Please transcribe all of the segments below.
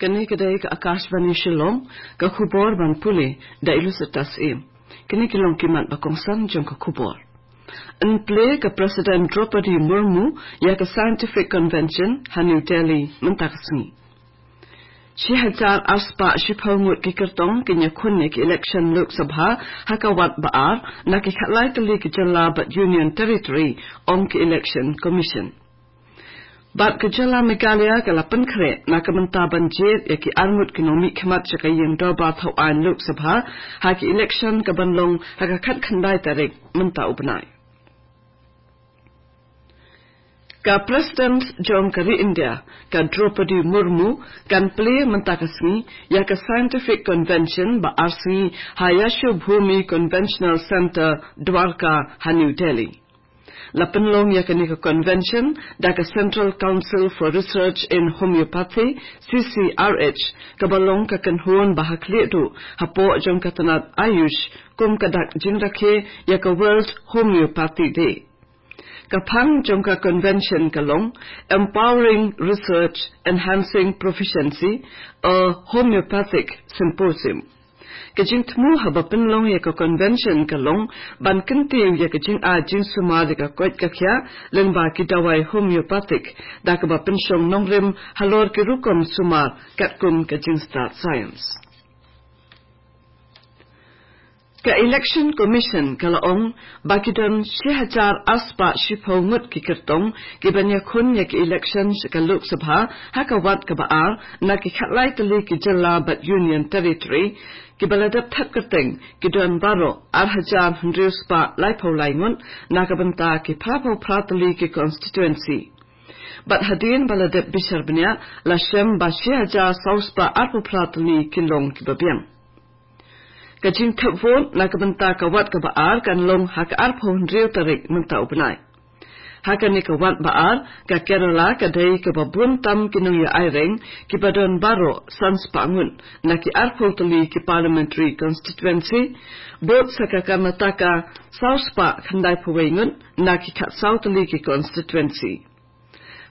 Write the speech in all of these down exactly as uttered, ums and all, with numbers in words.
Kane ka dei ka Akashvani Shillong, ka khubor ban pule da Ilusitas Im. Kine ki long ki mat ba kongsan jong ka khubor. Yn plie ka President Draupadi Murmu ïa ka Scientific Convention ha New Delhi mynta ka sngi. Shi hajar arspah shiphew ngut ki kyrtong kin ïakhun ïa ki election Lok Sabha ha ka wat ba ar na ki khatlai tylli ki jylla bad Union Territory, ong ki Election Commission. Bad ka jylla Meghalaya ka la pynkhreh na ka bynta ban jied ïa ki arngut ki nongmihkhmat sha ka ïing dorbar thaw aiñ Lok Sabha ha ki election ka ban long ha ka khatkhyndai tarik mynta u bnai. Ka President jong ka ri India, ka Draupadi Murmu, kan plie mynta ka sngi ïa ka Scientific Convention ba ar sngi ha Yashobhoomi Conventional Centre, Dwarka, ha New Delhi. La pynlong ïa kane ka convention da ka Central Council for Research in Homeopathy, C C R H, ka ba long ka kynhun ba ha khlieh duh hapoh jong ka tnat Ayush kum ka dak jingrakhe ïa ka World Homeopathy Day. Ka phang jong ka convention ka long Empowering Research, Enhancing Proficiency, a Homeopathic Symposium. Ka jingthmu haba pynlong ïa ka convention ka long ban kyntiew ïa ka jingai jingsumar ïa ka koit ka khiah lyngba ki dawai homeopathic, da kaba pynshong nongrim halor ki rukom sumar katkum ka jingstad science. Ka Election Commission ka la ong ba ki don shi hajar arspah shiphew ngut ki kyrtong ki ban ïakhun ïa ki election sha ka Lok Sabha ha ka wat kaba ar na ki khatlai tylli ki jylla bad Union Territory, ki ba la dep thep kyrteng ki don baroh ar hajar hynriew spah laiphew lai ngut na ka bynta ki phraphew phra tylli ki constituency. Bad hadien ba la dep bishar bniah la shem ba shi hajar saw spah arphew phra tylli ki long ki ba biang. Ka jingthep vote na ka bynta ka wat kaba ar kan long ha ka arphew hynriew tarik mynta u bnai. Ha kane ka wat ba ar, ka Kerala ka dei kaba bun tam ki nongïaireng, ki ba don baroh san spah ngut na ki arphew tylli ki parliamentary constituency, bud sa ka Karnataka saw spah khyndai phew wei ngut na ki khatsaw tylli ki constituency.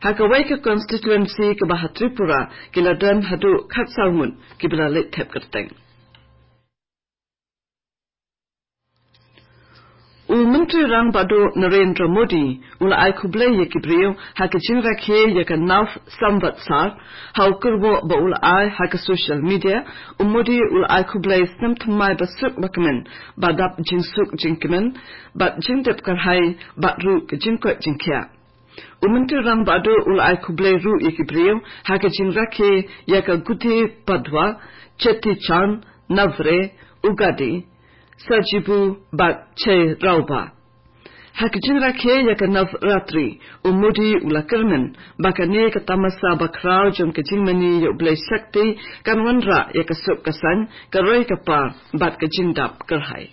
Ha kawei ka constituency kaba ha Tripura ki la don haduh khatsaw ngut ki ba la leit thep kyrteng. U Myntri Rangbah Duh Narendra Modi u la ai khublei ïa ki briew ha ka jingrakhe ïa ka Nav Samvatsar. Ha u kyrwoh ba u la ai ha ka social media, u Modi u la ai khublei snem thymmai ba suk ba kmen ba dap jingsuk jingkmen bad jingdep kyrhai bad ruh ka jingkoit jingkhiah. U Myntri Rangbah Duh u la ai khublei ruh ïa ki briew ha ka jingrakhe ïa ka Gudi Padwa, Cheti Chand, Navre, Ugadi, Sajibu bad Cheiraoba. Ha ka jingrakhe ïa ka Navratri, u Modi u la kyrmen ba kane ka tamasa bakhraw jong ka jingmane ïa u Blei Shakti kan wanrah ïa ka suk ka saiñ, ka roi ka par bad ka jingdap kyrhai.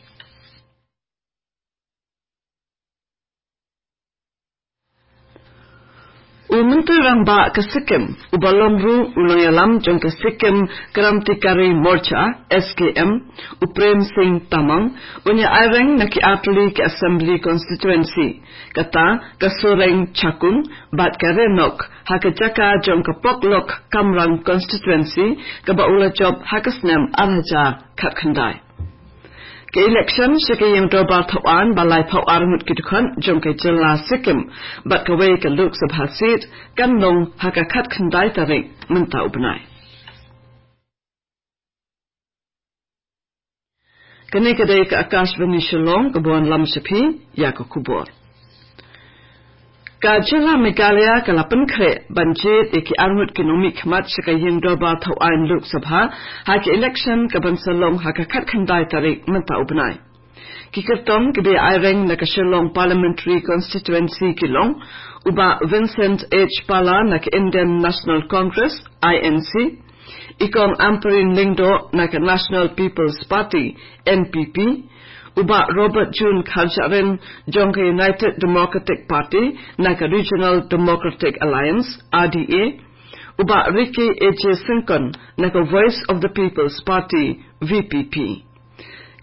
U Myntri Rangbah ka Sikkim, u ba long ruh u nongïalam jong ka Sikkim Krantikari Morcha, S K M, u Prem Singh Tamang, un ïa aireng na ki artylli ki Assembly Constituency, kata ka Soreng Chakung bad ka Renok, ha ka jaka jong ka Poklok Kamrang Constituency, kaba u la jop ha ka snem ar hajar khatkhyndai. Ka election sha ka ïing dorbar thaw aiñ ba laiphew ar ngut ki dkhot jong ka jylla Sikkim bad kawei ka Lok Sabha seat kan long ha ka khatkhyndai tarik mynta u bnai. Kane ka dei ka Akashvani Shillong ka ba wanlam sha phi ïa ka khubor. Ka jylla Meghalaya ka la pynkhreh ban jied ïa ki arngut ki nongmihkhmat sha ka ïing dorbar thaw aiñ Lok Sabha ha ka election ka ban sa long ha ka khatkhyndai tarik mynta u bnai. Ki kyrtong ki ba ïa aireng na ka Shillong Parliamentary Constituency ki long u Bah Vincent H Pala na ka Indian National Congress, I N C, i Kong Ampareen Lyngdoh na ka National People's Party, N P P, u Bah Robert June Kharjahrin jong ka United Democratic Party na ka Regional Democratic Alliance, R D A, u Bah Ricky A J Syngkon na ka Voice of the People's Party, V P P.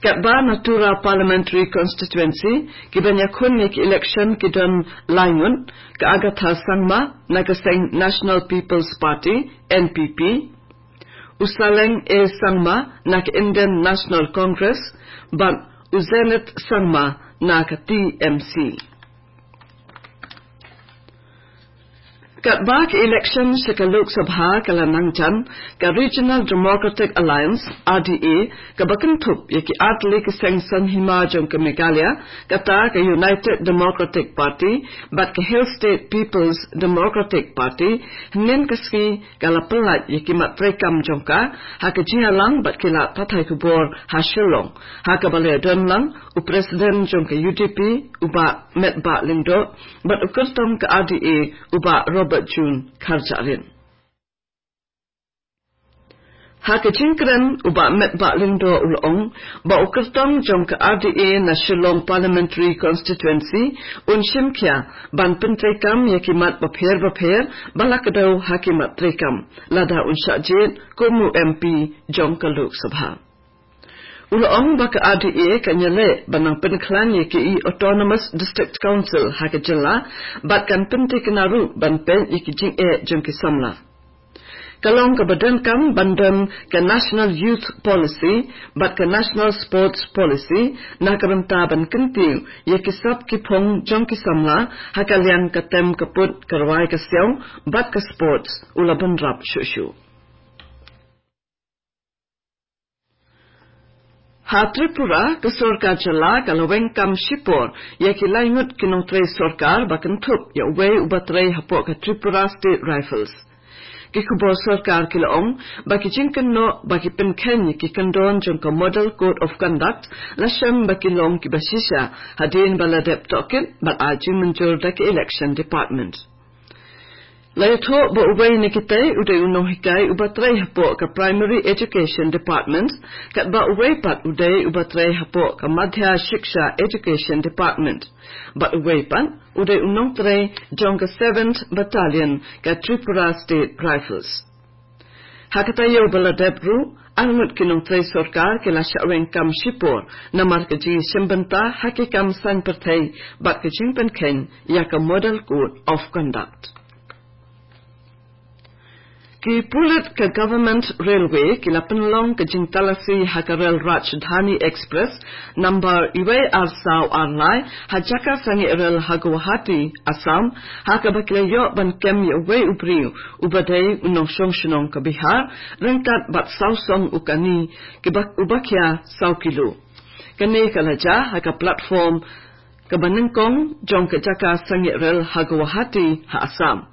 Katba na Tura Parliamentary Constituency ki ban ïakhun ïa ki election ki don lai ngut, ka Agatha Sangma na ka seng National People's Party, N P P, u Saleng A Sangma na ka Indian National Congress bad u Zenith Sangma na ka T M C. Katba ka election sha ka Lok Sabha ka la nang jan, ka Regional Democratic Alliance, R D A, kaba kynthup ïa ki artylli ki seng saiñ hima jong ka Meghalaya, kata ka United Democratic Party bad ka Hill State People's Democratic Party, hynnin ka sngi ka la pyllait ïa ki mat treikam jong ka ha ka jingïalang bad ki lad pathai khubor ha Shillong, ha kaba la ïadon lang u President jong ka U D P, u Bah Metbah Lyngdoh, bad u kyrtong ka R D A, u Bah Robert June Kharjahrin. Ha ka jingkren, u Bah Metbah Lyngdoh u la ong ba u kyrtong jong ka R D A na Shillong Parliamentary Constituency un shim khia ban pyntreikam ïa ki mat bapher bapher ba la kdew ha ki mat treikam, lada un shah jied kum u M P jong ka Lok Sabha. U la ong ba ka R D A kan ïaleh ban nang pynkhlaiñ ïa ki Autonomous District Council ha ka jylla bad kan pynthikna ruh ban peit ïa ki jingeh jong ki samla. Ka long kaba donkam ban don ka National Youth Policy bad ka National Sports Policy, na ka bynta ban kyntiew ïa ki sap ki phong jong ki samla ha ka liang ka tem ka put, ka rwai ka siaw bad ka sports, u la bynrap shuh shuh. Ha Tripura, ka sorkar jylla ka la weng kam shipor ïa ki lai ngut ki nongtrei sorkar ba kynthup ïa uwei uba trei hapoh ka Tripura State Rifles. Ki khubor sorkar ki la ong ba ki jingkynnoh ba ki pynkheiñ ïa ki kyndon jong ka Model Code of Conduct la shem ba ki long kiba shisha hadien ba la dep tohkit bad ai jingmynjur da ka Election Department. La ïathuh ba uwei na kitei u dei u nonghikai uba trei hapoh ka Primary Education Department, katba uwei pat u dei uba trei hapoh ka Madhya Shiksha Education Department, bad uwei pat u dei u nongtrei jong ka Seventh Battalion ka Tripura State Rifles. Ha ka taïew ba la dep ruh, ar ngut ki nongtrei sorkar ki la shah weng kam shipor namar ka jingïashim bynta ha ki kam saiñ pyrthei bad ka jingpynkheiñ ïa ka Model Code of Conduct. Ki pulit ka Government Railway ki la pynlong ka jingtalasi ha ka rel Rajdhani Express number uwei ar saw ar lai ha jaka sangeh rel ha Guwahati, Assam, ha kaba ki la ïoh ban kem ïa uwei u briew uba dei u nongshong shnong ka Bihar, ryngkat bad saw song u kani kiba, uba khia saw kilo. Kane ka la jia ha ka platform kaba nyngkong jong ka jaka sangeh rel ha Guwahati, ha Assam.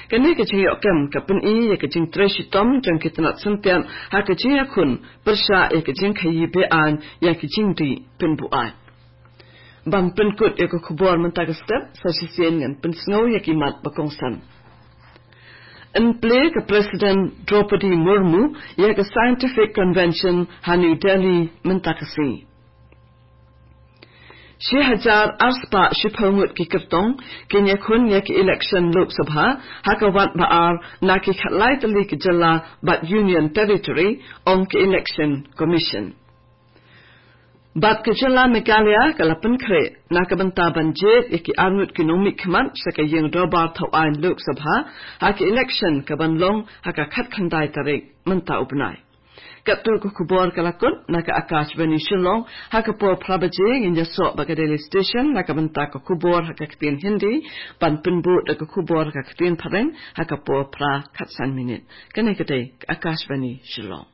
Kane ka jingïoh kem ka pyni ïa ka jingtrei shitom jong ki tnat syntiat ha ka jingïakhun pyrshah ïa ka jingkhaïi be-aiñ ïa ka jingdih pynbuaid. Ban pynkut ïa ka khubor mynta ka step, sa shisien ngan pynsngew ïa ki mat ba kongsan. Yn plie ka President Droupadi Murmu ïa ka Scientific Convention ha New Delhi mynta ka sngi. Shi hajar ar spah shiphew ngut ki kyrtong kin ïakhun ïa ki election Lok Sabha ha ka wad ba ar na ki khatlai tylli ki jylla bad Union Territory, ong ka Election Commission. Bad ka jylla Meghalaya ka la pynkhreh na ka bynta ban jied ïa ki ar ngut ki nongmihkhmat sha ka ïing dorbar thaw aiñ Lok Sabha ha ka election kaban long ha ka khatkhyndai tarik mynta u bnai. Katto ka khubor ka la kut na ka Akashvani Shillong, ha ka por phra baje ngin ïasoh bad ka Delhi Station na ka bynta ka khubor ha ka ktien Hindi, ban pynbud da ka khubor ha ka ktien Phareng ha ka por phra khatsan minit. Kane ka dei ka Akashvani Shillong.